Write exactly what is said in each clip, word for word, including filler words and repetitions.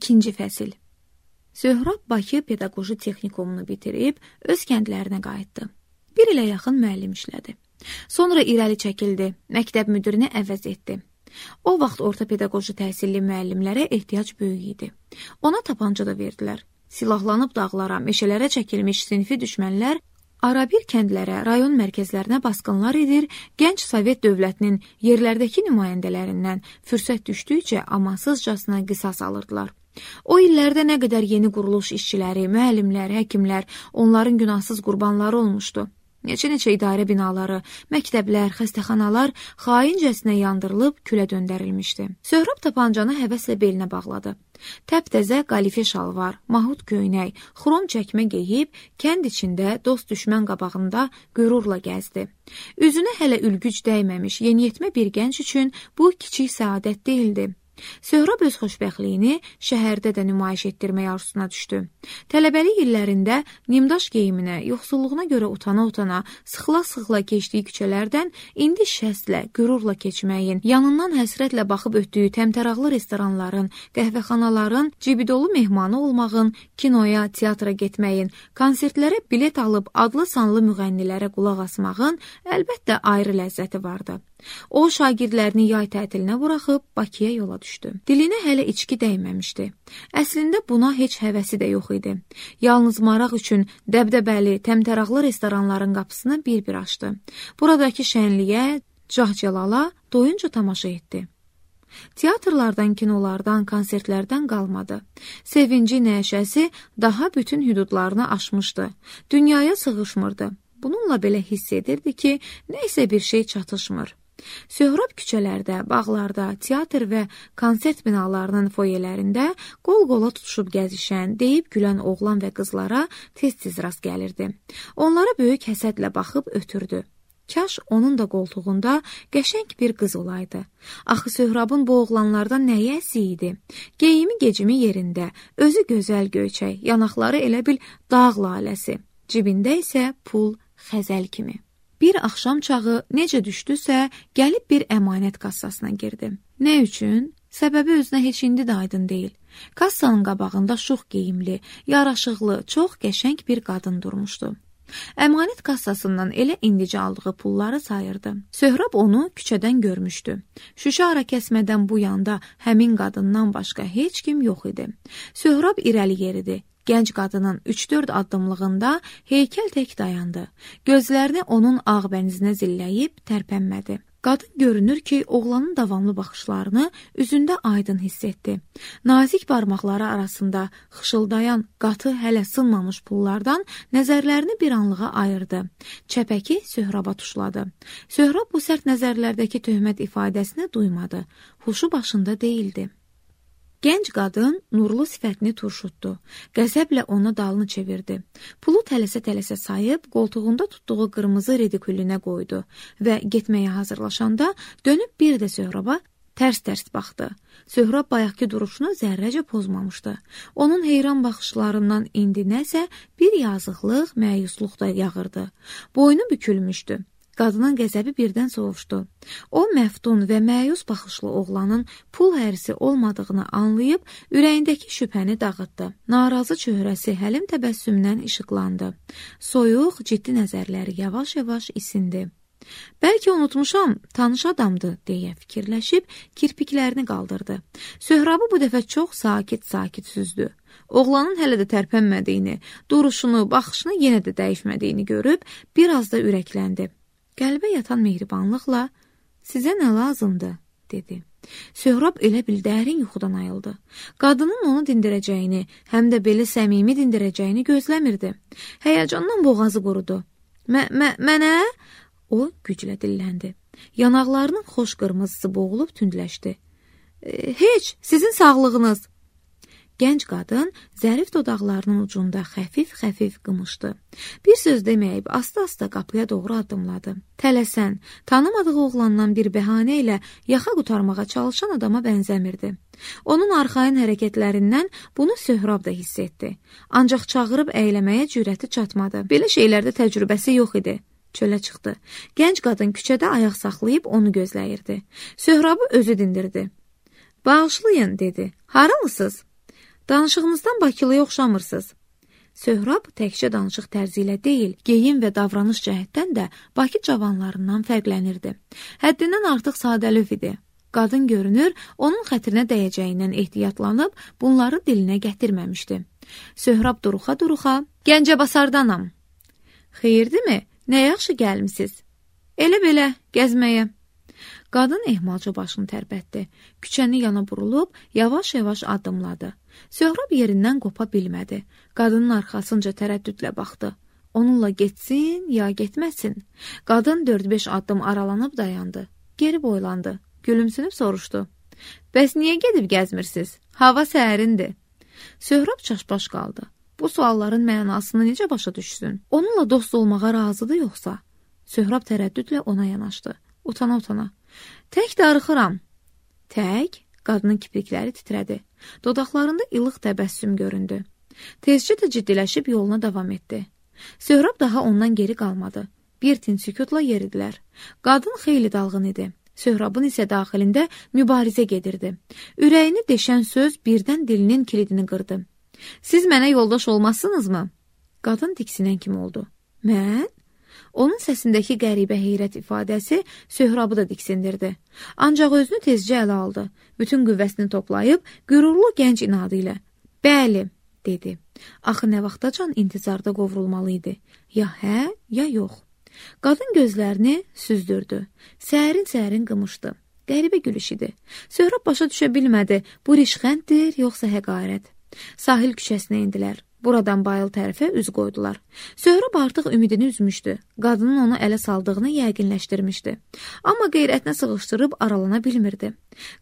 İkinci fəsil. Söhrab Bakı Pedaqoji Texnikumunu bitirib öz kəndlərinə qayıtdı. Bir ilə yaxın müəllim işlədi. Sonra irəli çəkildi, məktəb müdirini əvəz etdi. O vaxt orta pedaqoji təhsilli müəllimlərə ehtiyac böyük idi. Ona tapanca da verdilər. Silahlanıb dağlara, meşələrə çəkilmiş sinfi düşmənlər arabir kəndlərə, rayon mərkəzlərinə basqınlar edir, gənc Sovet dövlətinin yerlərdəki nümayəndələrindən fürsət düşdükcə amansızcasına qisas alırdılar. O illərdə nə qədər yeni quruluş işçiləri, müəllimlər, həkimlər onların günahsız qurbanları olmuşdu. Neçə-neçə idarə binaları, məktəblər, xəstəxanalar xaincəsinə yandırılıb külə döndərilmişdi. Söhrab tapancanı həvəslə belinə bağladı. Təptəzə qalife şalvar, mahut köynək, xrom çəkmə geyib, kənd içində dost düşmən qabağında qürurla gəzdi. Üzünə hələ ülgüc dəyməmiş yeniyetmə bir gənc üçün bu kiçik səadət deyildi. Söhrab öz xoşbəxtliyini şəhərdə də nümayiş etdirmək arzusuna düşdü. Tələbəlik illərində nimdaş geyiminə, yoxsulluğuna görə utana-utana, sıxıla-sıxıla keçdiyi küçələrdən indi şəstlə, qürurla keçməyin, yanından həsrətlə baxıb ötdüyü təmtəraqlı restoranların, qəhvəxanaların, cibidolu mehmanı olmağın, kinoya, teatra getməyin, konsertlərə bilet alıb adlı-sanlı müğənnilərə qulaq asmağın əlbəttə ayrı ləzzəti vardı. O, şagirdlərini yay tətilinə buraxıb Bakıya yola düşdü. Dilinə hələ içki dəyməmişdi. Əslində buna heç həvəsi də yox idi. Yalnız maraq üçün dəbdəbəli, təmtəraqlı restoranların qapısını bir-bir açdı. Buradakı şənliyə, cahcəlala doyunca tamaşa etdi. Teatrlardan, kinolardan, konsertlərdən qalmadı. Sevinci, nəşəsi daha bütün hüdudlarını aşmışdı. Dünyaya sığışmırdı. Bununla belə hiss edirdi ki, nəysə bir şey çatışmır. Söhrab küçələrdə, bağlarda, teatr və konsert binalarının foyelərində qol-qola tutuşub gəzişən, deyib gülən oğlan və qızlara tez-tez rast gəlirdi. Onlara böyük həsədlə baxıb ötürdü. Kaş onun da qoltuğunda qəşəng bir qız olaydı. Axı Söhrabın bu oğlanlardan nəyi əsi idi? Geyimi gecimi yerində, özü gözəl göyçək, yanaqları elə bil dağ laləsi, cibində isə pul xəzəl kimi. Bir axşam çağı necə düşdüsə, gəlib bir əmanət kassasına girdi. Nə üçün? Səbəbi özünə heç indi də aydın deyil. Kassanın qabağında şux geyimli, yaraşıqlı, çox qəşəng bir qadın durmuşdu. Əmanət kassasından elə indicə aldığı pulları sayırdı. Söhrab onu küçədən görmüşdü. Şüşə ara kəsmədən bu yanda həmin qadından başqa heç kim yox idi. Söhrab irəli yeridi. Gənc qadının üç-dörd addımlığında heykəl tək dayandı. Gözlərini onun ağ bənizinə zilləyib tərpənmədi. Qadın görünür ki, oğlanın davamlı baxışlarını üzündə aydın hiss etdi. Nazik barmaqları arasında xışıldayan, qatı hələ sınmamış pullardan nəzərlərini bir anlığa ayırdı. Çəpəki Söhraba tuşladı. Söhrab bu sərt nəzərlərdəki töhmət ifadəsini duymadı. Huşu başında değildi. Gənc qadın nurlu sifətini turşutdu. Qəzəblə ona dalını çevirdi. Pulu tələsə-tələsə sayıb, qoltuğunda tutduğu qırmızı redikülünə qoydu və getməyə hazırlaşanda dönüb bir də Söhraba tərs-tərs baxdı. Söhrab bayaqki duruşunu zərrəcə pozmamışdı. Onun heyran baxışlarından indi nəsə bir yazıqlıq, məyusluq da yağırdı. Boynu bükülmüşdü. Qadının qəzəbi birdən sovuşdu. O, məftun və məyus baxışlı oğlanın pul hərisi olmadığını anlayıb, ürəyindəki şübhəni dağıtdı. Narazı çöhrəsi həlim təbəssümdən işıqlandı. Soyuq, ciddi nəzərləri yavaş-yavaş isindi. Bəlkə unutmuşam, tanış adamdı, deyə fikirləşib, kirpiklərini qaldırdı. Söhrabı bu dəfə çox sakit-sakit süzdü. Oğlanın hələ də tərpənmədiyini, duruşunu, baxışını yenə də dəyişmədiyini görüb, biraz da ürəkləndi. Qəlbə yatan mehribanlıqla, sizə nə lazımdır, dedi. Söhrab elə bil dərin yuxudan ayıldı. Qadının onu dindirəcəyini, həm də belə səmimi dindirəcəyini gözləmirdi. Həyəcandan boğazı qurudu. Mənə? O güclə dilləndi. Yanaqlarının xoş qırmızısı boğulub tündləşdi. Heç, sizin sağlığınız. Gənc qadın zərif dodaqlarının ucunda xəfif-xəfif qımışdı. Bir söz deməyib, asta-asta qapıya doğru addımladı. Tələsən, tanımadığı oğlandan bir bəhanə ilə yaxa qutarmağa çalışan adama bənzəmirdi. Onun arxayın hərəkətlərindən bunu Söhrab da hiss etdi. Ancaq çağırıb əyləməyə cürəti çatmadı. Belə şeylərdə təcrübəsi yox idi. Çölə çıxdı. Gənc qadın küçədə ayaq saxlayıb onu gözləyirdi. Söhrabı özü dindirdi. Bağışlayın, dedi. Haralısınız? Danışığınızdan Bakılıya oxşamırsınız. Söhrab təkcə danışıq tərzi ilə deyil, geyim və davranış cəhətdən də Bakı cavanlarından fərqlənirdi. Həddindən artıq sadəlöv idi. Qadın görünür, onun xətrinə dəyəcəyindən ehtiyatlanıb bunları dilinə gətirməmişdi. Söhrab duruxa-duruxa, Gəncəbasardanam. Xeyirdirmi? Nə yaxşı gəlmisiniz? Elə belə, gəzməyə. Qadın ehmalca başını tərpətdi. Küçəni yana burulub, yavaş-yavaş addımladı. Söhrab yerindən qopa bilmədi. Qadının arxasınca tərəddüdlə baxdı. Onunla getsin, ya getməsin. Qadın dörd-beş addım aralanıb dayandı. Geri boylandı. Gülümsünüb soruşdu. Bəs niyə gedib gəzmirsiniz? Hava səhərindir. Söhrab çaşbaş qaldı. Bu sualların mənasını necə başa düşsün? Onunla dost olmağa razıdır yoxsa? Söhrab tərəddüdlə ona yanaşdı. Utana-utana. Tək darıxıram. Tək? Qadının kiprikləri titrədi. Dodaqlarında ilıq təbəssüm göründü. Tezcə də ciddiləşib yoluna davam etdi. Söhrab daha ondan geri qalmadı. Bir tin sükutla yeridilər. Qadın xeyli dalğın idi. Söhrabın isə daxilində mübarizə gedirdi. Ürəyini deşən söz birdən dilinin kilidini qırdı. Siz mənə yoldaş olmazsınızmı? Qadın diksinən kimi oldu. Mən? Onun səsindəki qəribə heyrət ifadəsi Söhrabı da diksindirdi. Ancaq özünü tezcə ələ aldı. Bütün qüvvəsini toplayıb, qürurlu gənc inadı ilə. Bəli, dedi. Axı nə vaxtacan intizarda qovrulmalı idi. Ya hə, ya yox. Qadın gözlərini süzdürdü. Sərin-sərin qımışdı. Qəribə gülüş idi. Söhrab başa düşə bilmədi. Bu rişxənddir, yoxsa həqarət. Sahil küçəsinə indilər. Buradan bayıl tərəfə üz qoydular. Söhrab artıq ümidini üzmüşdü. Qadının onu ələ saldığını yəqinləşdirmişdi. Amma qeyrətinə sığışdırıb aralana bilmirdi.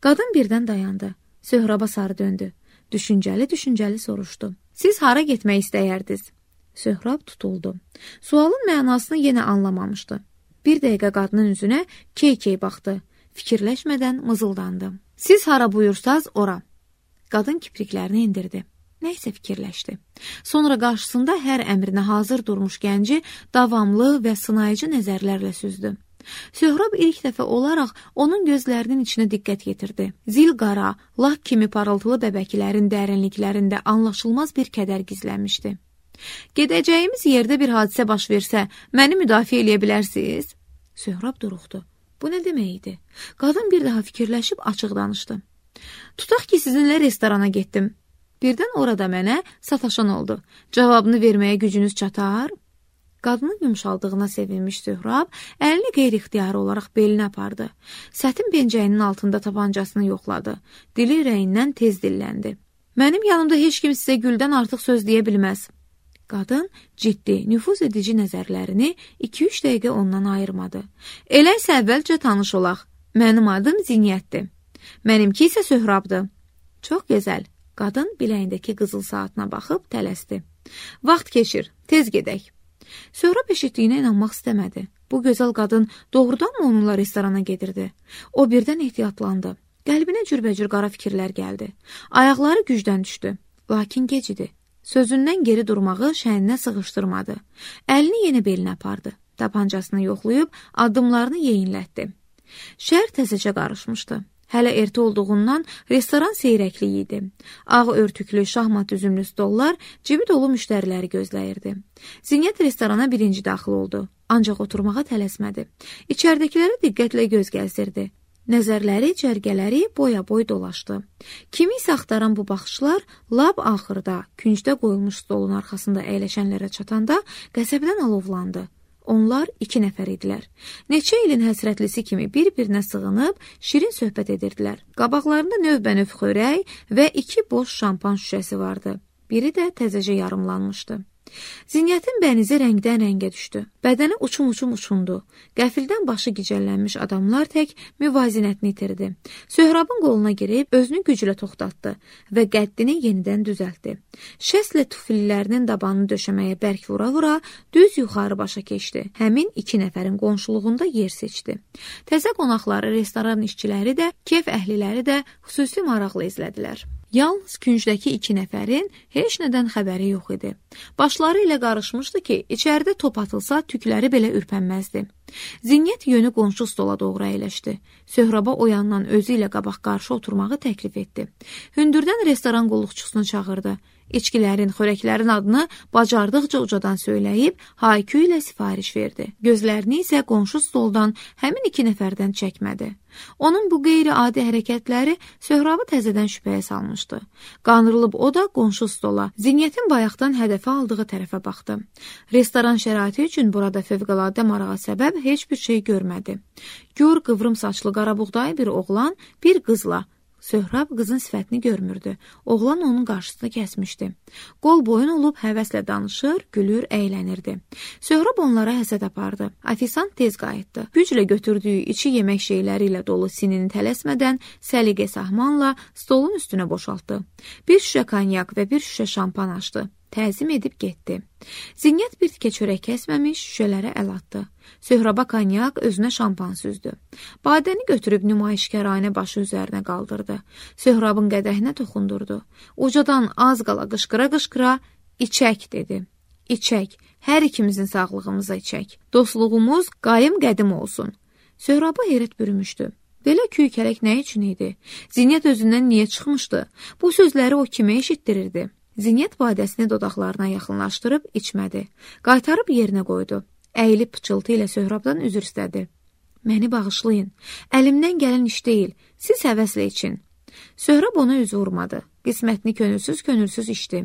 Qadın birdən dayandı. Söhraba sarı döndü. Düşüncəli-düşüncəli soruşdu. Siz hara getmək istəyərdiniz? Söhrab tutuldu. Sualın mənasını yenə anlamamışdı. Bir dəqiqə qadının üzünə key-key baxdı. Fikirləşmədən mızıldandı. Siz hara buyursaz ora. Qadın kipriklərini indirdi. Nəysə fikirləşdi. Sonra qarşısında hər əmrinə hazır durmuş gənci davamlı və sınayıcı nəzərlərlə süzdü. Söhrab ilk dəfə olaraq onun gözlərinin içinə diqqət yetirdi. Zil qara, lak kimi parıltılı bəbəklərin dərinliklərində anlaşılmaz bir kədər gizlənmişdi. Gedəcəyimiz yerdə bir hadisə baş versə, məni müdafiə eləyə bilərsiniz? Söhrab duruxdu. Bu nə demək idi? Qadın bir daha fikirləşib açıq danışdı. Tutaq ki, sizinlə restorana getdim. Birdən orada mənə sataşan oldu. Cavabını verməyə gücünüz çatar? Qadının yumşaldığına sevinmiş Söhrab əlini qeyri-ixtiyari olaraq belinə apardı. Sətin pencəyinin altında tapancasını yoxladı. Dili ürəyindən tez dilləndi. Mənim yanımda heç kim sizə güldən artıq söz deyə bilməz. Qadın ciddi, nüfuz edici nəzərlərini iki-üç dəqiqə ondan ayırmadı. Elə isə əvvəlcə tanış olaq. Mənim adım Zinyətdir. Mənimki isə Söhrabdır. Çox gözəl. Qadın biləyindəki qızıl saatına baxıb tələsdi. Vaxt keçir, tez gedək. Söhrab eşitdiyinə inanmaq istəmədi. Bu gözəl qadın doğrudan mı onunla restorana gedirdi? O birdən ehtiyatlandı. Qəlbinə cürbəcür qara fikirlər gəldi. Ayaqları gücdən düşdü. Lakin gec idi. Sözündən geri durmağı şəhəninə sığışdırmadı. Əlini yenə belinə apardı. Tapancasını yoxlayıb addımlarını yeyinlətdi. Şəhər təzəcə qarışmışdı. Hələ ertə olduğundan restoran seyrəkli idi. Ağ örtüklü, şahmat üzümlü stollar cibi dolu müştəriləri gözləyirdi. Zinyət restorana birinci daxil oldu. Ancaq oturmağa tələsmədi. İçəridəkilərə diqqətlə göz gəzdirdi. Nəzərləri, cərgələri boya-boy dolaşdı. Kimi isə axtaran bu baxışlar lab axırda, küncdə qoyulmuş stolun arxasında əyləşənlərə çatanda qəzəbdən alovlandı. Onlar iki nəfər idilər. Neçə ilin həsrətlisi kimi bir-birinə sığınıb, şirin söhbət edirdilər. Qabaqlarında növbə-növ xörək və iki boş şampan şüşəsi vardı. Biri də təzəcə yarımlanmışdı. Zinyətin bənizi rəngdən rəngə düşdü. Bədəni uçum-uçum uçundu. Qəfildən başı gicəllənmiş adamlar tək müvazinətini itirdi. Söhrabın qoluna girib özünü güclə toxtatdı və qəddini yenidən düzəltdi. Şəslə tufillərinin dabanını döşəməyə bərk vura-vura düz yuxarı başa keçdi. Həmin iki nəfərin qonşuluğunda yer seçdi. Təzə qonaqları, restoran işçiləri də, kef əhliləri də xüsusi maraqla izlədilər. Yalnız küncdəki iki nəfərin heç nədən xəbəri yox idi. Başları ilə qarışmışdı ki, içəridə top atılsa tükləri belə ürpənməzdi. Zinnət yönü qonşu stola doğru əyləşdi. Söhraba o yandan özü ilə qabaq qarşı oturmağı təklif etdi. Hündürdən restoran qulluqçusunu çağırdı. İçkilərin, xörəklərin adını bacardıqca ucadan söyləyib, haykü ilə sifariş verdi. Gözlərini isə qonşu stoldan həmin iki nəfərdən çəkmədi. Onun bu qeyri-adi hərəkətləri Söhrabı təzədən şübhəyə salmışdı. Qanırılıb o da qonşu stola, Zinnətin bayaqdan hədəfə aldığı tərəfə baxdı. Restoran şəraiti üçün burada fövqəladə marağa səbəb heç bir şey görmədi. Gör qıvrım saçlı qarabuğdayı bir oğlan, bir qızla. Söhrab qızın sifətini görmürdü. Oğlan onun qarşısını kəsmişdi. Qol boyun olub həvəslə danışır, gülür, əylənirdi. Söhrab onlara həsəd apardı. Afisant tez qayıtdı. Güclə götürdüyü içi yemək şeyləri ilə dolu sinini tələsmədən səliqə sahmanla stolun üstünə boşaltdı. Bir şüşə konyak və bir şüşə şampan açdı. Təzim edib getdi. Zinnət bir tikə çörək kəsməmiş şüşələrə əl atdı. Söhraba konyak, özünə şampan süzdü. Badəni götürüb nümayişkəranə başı üzərinə qaldırdı. Söhrabın qədəhinə toxundurdu. Ucadan az qala qışqıra-qışqıra içək dedi. İçək, hər ikimizin sağlığımıza içək. Dostluğumuz qayım qədim olsun. Söhraba heyrət bürümüşdü. Belə küy-kələk nə üçün idi? Zinnət özündən niyə çıxmışdı? Bu sözləri o kimə eşitdirirdi? Zinnət badəsini dodaqlarına yaxınlaşdırıb içmədi. Qaytarıb yerinə qoydu. Əyilib pıçıltı ilə Söhrabdan üzr istədi. Məni bağışlayın. Əlimdən gələn iş deyil. Siz həvəslə için. Söhrab ona üz vurmadı. Qismətini könülsüz-könülsüz içdi.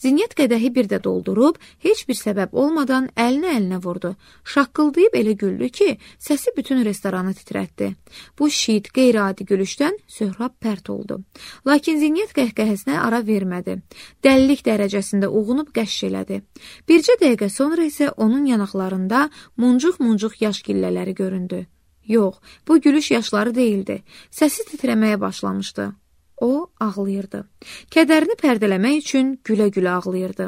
Zinnət qədəhi bir də doldurub, heç bir səbəb olmadan əlinə əlinə vurdu. Şaqqıldayıb elə güldü ki, səsi bütün restoranı titrətdi. Bu şiit, qeyri-adi gülüşdən Söhrab pərt oldu. Lakin Zinnət qəhqəhəsinə ara vermədi. Dəlilik dərəcəsində uğunub qəşş elədi. Bircə dəqiqə sonra isə onun yanaqlarında muncuq-muncuq yaş gillələri göründü. Yox, bu gülüş yaşları deyildi. Səsi titrəməyə başlamışdı. O ağlayırdı. Kədərini pərdələmək üçün gülə-gülə ağlayırdı.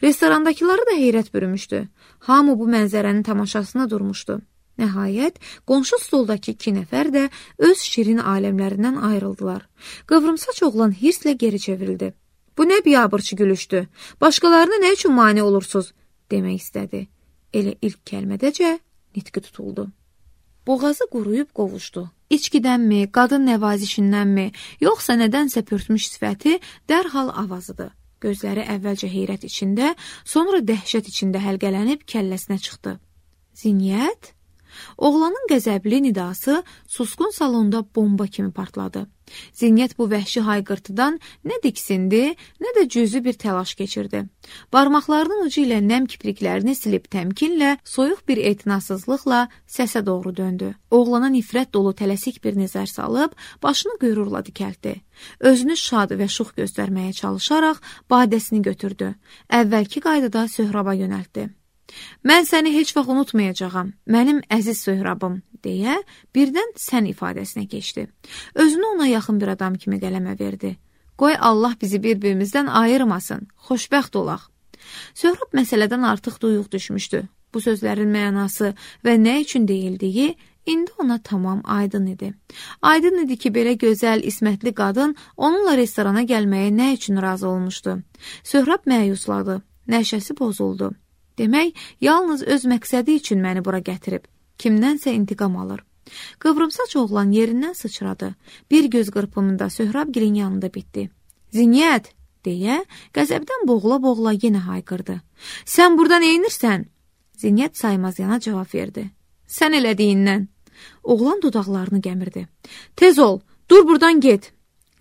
Restorandakıları da heyrət bürümüşdü. Hamı bu mənzərənin tamaşasına durmuşdu. Nəhayət, qonşu stoldakı iki nəfər də öz şirin aləmlərindən ayrıldılar. Qıvrımsaç oğlan hirslə geri çevrildi. Bu nə biabırçı gülüşdü? Başqalarına nə üçün mane olursunuz? Demək istədi. Elə ilk kəlmədəcə nitqi tutuldu. Boğazı quruyub qovuşdu. İçkidənmi, qadın nəvazişindənmi, yoxsa nədənsə pörtmüş sifəti dərhal avazıdı. Gözləri əvvəlcə heyrət içində, sonra dəhşət içində həlqələnib kəlləsinə çıxdı. Zinnət? Oğlanın qəzəbli nidası susqun salonda bomba kimi partladı. Zinnət bu vəhşi hayqırtıdan nə diksindi, nə də cüzü bir təlaş keçirdi. Barmaqlarının ucu ilə nəm kipriklərini silib təmkinlə, soyuq bir etinasızlıqla səsə doğru döndü. Oğlana nifrət dolu tələsik bir nəzər salıb, başını qüyrurla dikəltdi. Özünü şad və şux göstərməyə çalışaraq badəsini götürdü. Əvvəlki qaydada Söhraba yönəltdi. Mən səni heç vaxt unutmayacağam, mənim əziz Söhrabım, deyə birdən sən ifadəsinə keçdi. Özünü ona yaxın bir adam kimi qələmə verdi. Qoy Allah bizi bir-birimizdən ayırmasın, xoşbəxt olaq. Söhrab məsələdən artıq duyuq düşmüşdü. Bu sözlərin mənası və nə üçün deyildiyi indi ona tamam aydın idi. Aydın idi ki, belə gözəl, ismətli qadın onunla restorana gəlməyə nə üçün razı olmuşdu. Söhrab məyusladı, nəşəsi pozuldu. Demək, yalnız öz məqsədi üçün məni bura gətirib. Kimdənsə intiqam alır. Qıvrımsaç oğlan yerindən sıçradı. Bir göz qırpımında Söhrabgilin yanında bitdi. Zinnət, deyə qəzəbdən boğula-boğula yenə hayqırdı. Sən burada neynirsən? Zinnət saymaz yana cavab verdi. Sən elədiyindən. Oğlan dodaqlarını gəmirdi. Tez ol, dur buradan get.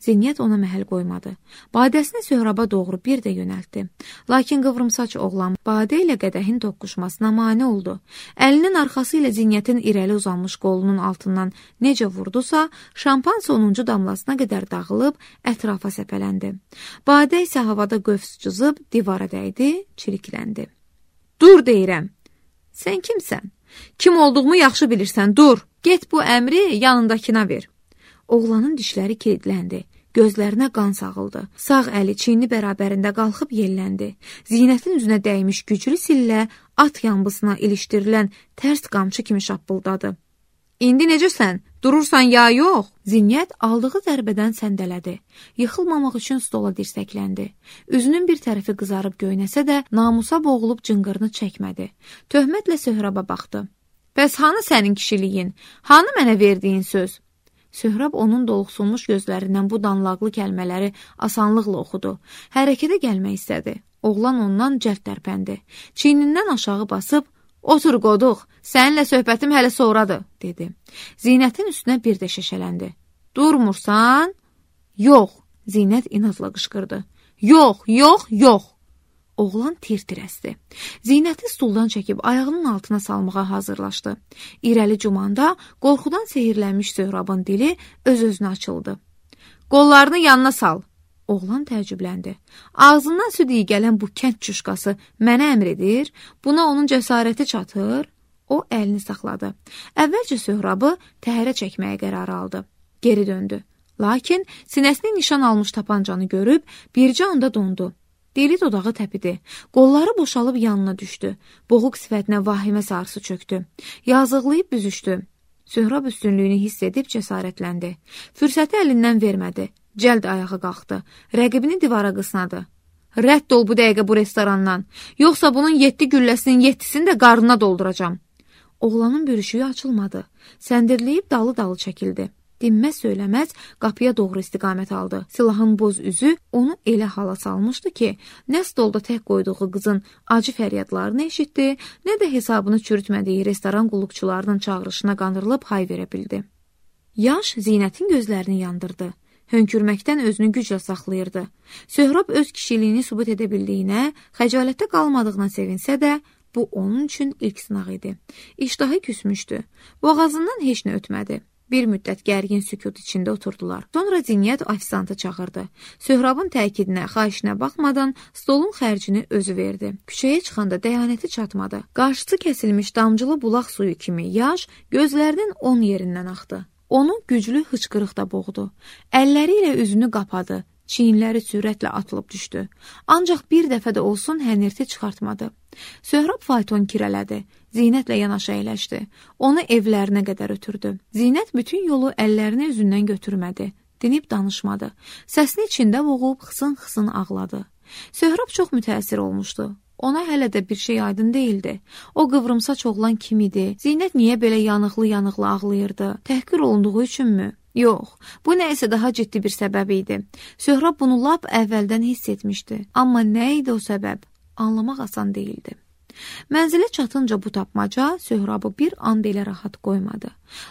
Zinnət ona məhəl qoymadı. Badəsini Söhraba doğru bir də yönəltdi. Lakin qıvrımsaç oğlan badə ilə qədəhin toqquşmasına mane oldu. Əlinin arxası ilə Zinnətin irəli uzanmış qolunun altından necə vurdusa, şampan sonuncu damlasına qədər dağılıb ətrafa səpələndi. Badə isə havada qövs cızıb divara dəydi, çirikləndi. Dur deyirəm. Sən kimsən? Kim olduğumu yaxşı bilirsən, dur. Get bu əmri yanındakına ver. Oğlanın dişləri kilidləndi. Gözlərinə qan sağıldı. Sağ əli çiyni bərabərində qalxıb yelləndi. Zinnətin üzünə dəymiş güclü sillə at yambısına ilişdirilən tərs qamçı kimi şappıldadı. İndi necəsən? Durursan ya yox? Zinnət aldığı zərbədən səndələdi. Yıxılmamaq üçün stola dirsəkləndi. Üzünün bir tərəfi qızarıb göynəsə də namusa boğulub cınqırını çəkmədi. Töhmətlə Söhraba baxdı. Bəs hanı sənin kişiliyin? Hanı mənə verdiyin söz? Söhrab onun doluxsulmuş gözlərindən bu danlaqlı kəlmələri asanlıqla oxudu. Hərəkətə gəlmək istədi. Oğlan ondan cəld tərpəndi. Çiynindən aşağı basıb, otur qoduq, səninlə söhbətim hələ sonradır, dedi. Zinətin üstünə bir də şəşələndi. Durmursan? Yox, Zinət inadla qışqırdı. Yox, yox, yox. Oğlan tir-tir əsdi. Zinəti stuldan çəkib ayağının altına salmağa hazırlaşdı. İrəli cumanda qorxudan sehirlənmiş Söhrabın dili öz-özünə açıldı. Qollarını yanına sal. Oğlan təəccübləndi. Ağzından süd iyi gələn bu kənd çuşqası mənə əmr edir, buna onun cəsarəti çatır. O əlini saxladı. Əvvəlcə Söhrabı təhərə çəkməyə qərar aldı. Geri döndü. Lakin sinəsini nişan almış tapancanı görüb bircə anda dondu. Dili dodağı təpidi. Qolları boşalıb yanına düşdü. Boğuq sifətinə vahimə sarısı çöktü. Yazıqlayıb büzüşdü. Söhrab üstünlüyünü hiss edib cəsarətləndi. Fürsəti əlindən vermədi. Cəld ayağa qalxdı. Rəqibini divara qısnadı. Rədd ol bu dəqiqə bu restorandan. Yoxsa bunun yeddi gülləsinin yeddisini də qarnına dolduracam. Oğlanın bürüşüyü açılmadı. Səndirləyib dalı-dalı çəkildi. Dinməz söyləməz qapıya doğru istiqamət aldı. Silahın boz üzü onu elə hala salmışdı ki, nə stolda tək qoyduğu qızın acı fəryadlarını eşitdi, nə də hesabını çürütmədiyi restoran qulluqçularının çağırışına qandırılıb hay verə bildi. Yaş Zinətin gözlərini yandırdı. Hönkürməkdən özünü güclə saxlayırdı. Söhrab öz kişiliyini sübut edə bildiyinə, xəcalətdə qalmadığına sevinsə də, bu onun üçün ilk sınaq idi. İştahı küsmüşdü. Boğazından heç nə ötmədi. Bir müddət gərgin sükut içində oturdular. Sonra Zinyət ofisantı çağırdı. Söhrabın təkidinə, xahişinə baxmadan stolun xərcini özü verdi. Küçəyə çıxanda dəyanəti çatmadı. Qarşısı kəsilmiş damcılı bulaq suyu kimi yaş gözlərinin on yerindən axdı. Onu güclü hıçqırıq da boğdu. Əlləri ilə üzünü qapadı. Çiyinləri sürətlə atılıb düşdü. Ancaq bir dəfə də olsun hənirti çıxartmadı. Söhrab fayton kirələdi. Zinətlə yanaşı əyləşdi. Onu evlərinə qədər ötürdü. Zinət bütün yolu əllərini üzündən götürmədi. Dinib danışmadı. Səsini içində boğub xısın-xısın ağladı. Söhrab çox mütəəssir olmuşdu. Ona hələ də bir şey aydın değildi. O qıvrımsaç oğlan kim idi? Zinət niyə belə yanıqlı-yanıqlı ağlayırdı? Təhqir olunduğu üçünmü? Yox, bu nə isə daha ciddi bir səbəb idi. Söhrab bunu lap əvvəldən hiss etmişdi. Amma nə idi o səbəb? Anlamaq asan deyildi. Mənzilə çatınca bu tapmaca Söhrabı bir an belə rahat qoymadı.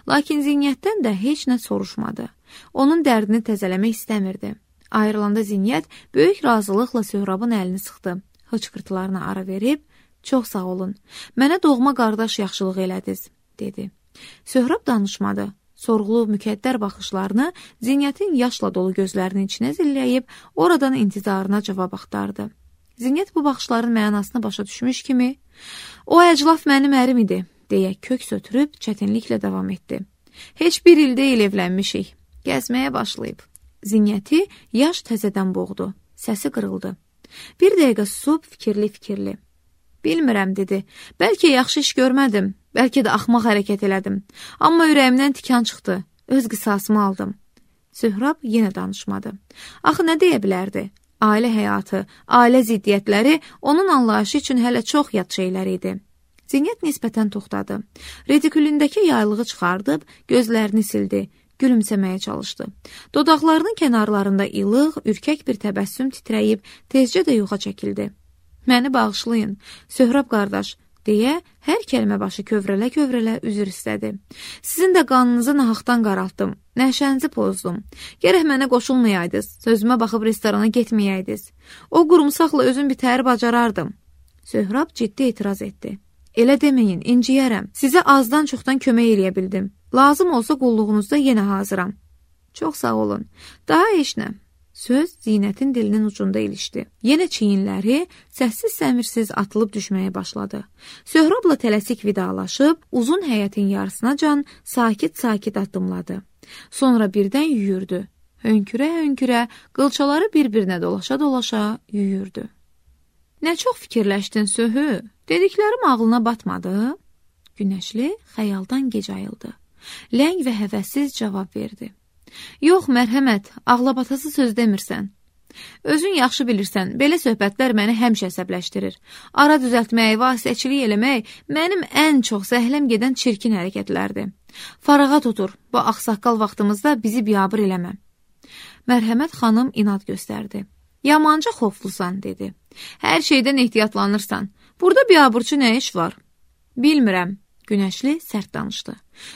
Lakin Zinyətdən də heç nə soruşmadı. Onun dərdini təzələmək istəmirdi. Ayrılanda Zinyət böyük razılıqla Söhrabın əlini sıxdı. Hıçqırtılarına ara verib, çox sağ olun, mənə doğma qardaş yaxşılıq elədiniz, dedi. Söhrab danışmadı. Sorğulu mükəddər baxışlarını Zinyətin yaşla dolu gözlərinin içinə zilləyib, oradan intizarına cavab axtardı. Zinyət bu baxışların mənasını başa düşmüş kimi, o əclaf mənim ərim idi, deyə kök sötürüb çətinliklə davam etdi. Heç bir il deyil evlənmişik, gəzməyə başlayıb. Zinyəti yaş təzədən boğdu, səsi qırıldı. Bir dəqiqə susub fikirli-fikirli. Bilmirəm, dedi, bəlkə yaxşı iş görmədim, bəlkə də axmaq hərəkət elədim. Amma ürəyimdən tikan çıxdı, öz qisasımı aldım. Söhrab yenə danışmadı. Axı nə deyə bilərdi? Ailə həyatı, ailə ziddiyyətləri onun anlayışı üçün hələ çox yad şeylər idi. Zinyət nisbətən toxtadı. Redikulündəki yaylığı çıxardıb, gözlərini sildi, gülümsəməyə çalışdı. Dodaqlarının kənarlarında ilıq, ürkək bir təbəssüm titrəyib, tezcə də yuxa çəkildi. Məni bağışlayın, Söhrab qardaş, deyə hər kəlmə başı kövrələ-kövrələ üzr istədi. Sizin də qanınızı nahaqdan qaraltdım, nəşənizi pozdum. Gərək mənə qoşulmayaydınız, sözümə baxıb restorana getməyəydiniz. O qurumsaqla özüm bitəri bacarardım. Söhrab ciddi etiraz etdi. Elə deməyin, inciyərəm. Sizə azdan çoxdan kömək eləyə bildim. Lazım olsa qulluğunuzda yenə hazıram. Çox sağ olun. Daha heç nə. Söz Zinətin dilinin ucunda ilişdi. Yenə çiyinləri səssiz-səmirsiz atılıb düşməyə başladı. Söhrabla tələsik vidalaşıb, uzun həyətin yarısınacan sakit-sakit addımladı. Sonra birdən yüyürdü. Hönkürə-hönkürə, qılçaları bir-birinə dolaşa-dolaşa yüyürdü. Nə çox fikirləşdin, Söhü? Dediklərim ağlına batmadı? Günəşli xəyaldan gec ayıldı. Ləng və həvəssiz cavab verdi. Yox, mərhəmət, ağlabatası söz demirsən. Özün yaxşı bilirsən, belə söhbətlər məni həmişə əsəbləşdirir. Ara düzəltmək, vasitəçilik eləmək mənim ən çox zəhləm gedən çirkin hərəkətlərdir. Farağa tutur, bu ağsaqqal vaxtımızda bizi biabır eləmə. Mərhəmət xanım inad göstərdi. Yamanca xoflusan, dedi. Hər şeydən ehtiyatlanırsan. Burada biabırçı nə iş var? Bilmirəm. Günəşli sərt danışdı.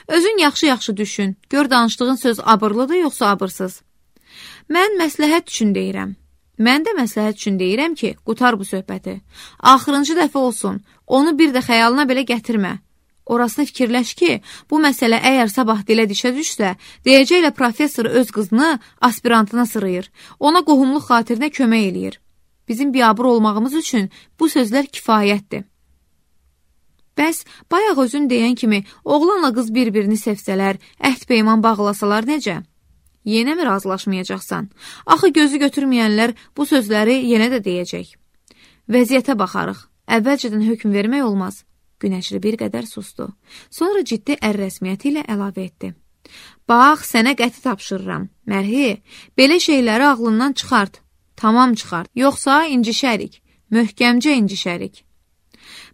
Özün yaxşı-yaxşı düşün. Gör danışdığın söz abırlıdır, yoxsa abırsız. Mən məsləhət üçün deyirəm. Mən də məsləhət üçün deyirəm ki, qutar bu söhbəti. Axırıncı dəfə olsun, onu bir də xəyalına belə gətirmə. Orasını fikirləş ki, bu məsələ əgər sabah dilə dişə düşsə, deyəcəklə professor öz qızını aspirantına sırıyır. Ona qohumluq xatirinə kömək eləyir. Bizim biabır olmağımız üçün bu sözlər kifayətdir. Bəs, bayaq özün deyən kimi, oğlanla qız bir-birini sevsələr, əhd peyman bağlasalar necə? Yenə mi razılaşmayacaqsan? Axı gözü götürməyənlər bu sözləri yenə də deyəcək. Vəziyyətə baxarıq. Əvvəlcədən hökm vermək olmaz. Günəşli bir qədər sustu. Sonra ciddi ər rəsmiyyəti ilə əlavə etdi. Bax, sənə qəti tapşırıram. Mərhi, belə şeyləri ağlından çıxart. Tamam çıxart. Yoxsa incişərik. Möhkəmcə incişərik.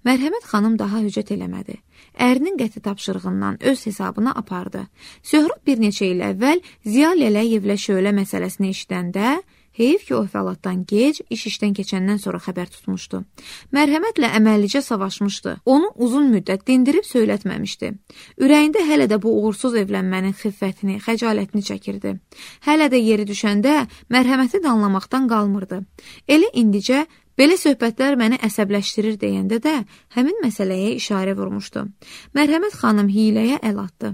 Mərhəmət xanım daha hücət eləmədi. Ərinin qəti tapşırığından öz hesabına apardı. Söhrab bir neçə il əvvəl Ziya Lələyevlə şölə məsələsini eşidəndə, heyif ki, o əhvalatdan gec, iş işdən keçəndən sonra xəbər tutmuşdu. Mərhəmətlə əməllicə savaşmışdı. Onu uzun müddət dindirib söylətməmişdi. Ürəyində hələ də bu uğursuz evlənmənin xiffətini, xəcalətini çəkirdi. Hələ də yeri düşəndə mərhəməti danlamaqdan qalmırdı. Elə indicə belə söhbətlər məni əsəbləşdirir deyəndə də həmin məsələyə işarə vurmuşdu. Mərhəmət xanım hiləyə əl atdı.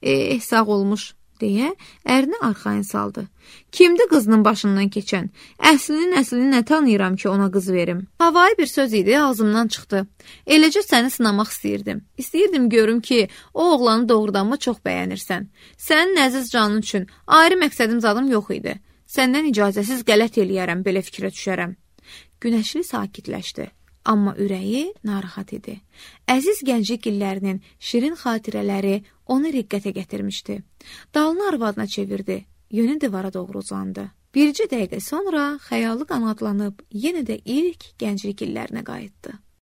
Eh, sağ olmuş, deyə ərini arxayın saldı. Kimdir qızının başından keçən? Əslinin əslini nə tanıyıram ki, ona qız verim? Havai bir söz idi, ağzımdan çıxdı. Eləcə səni sınamaq istəyirdim. İstəyirdim görüm ki, o oğlanı doğrudanmı çox bəyənirsən. Sənin əziz canın üçün ayrı məqsədim zadım yox idi. Səndən icazəsiz qələt eləyərəm, belə fikrə düşərəm. Günəşli sakitləşdi, amma ürəyi narahat idi. Əziz gənclik illərinin şirin xatirələri onu riqqətə gətirmişdi. Dalını arvadına çevirdi, yönü divara doğru uzandı. Bircə dəqiqə sonra xəyalı qanadlanıb yenə də ilk gənclik illərinə qayıtdı.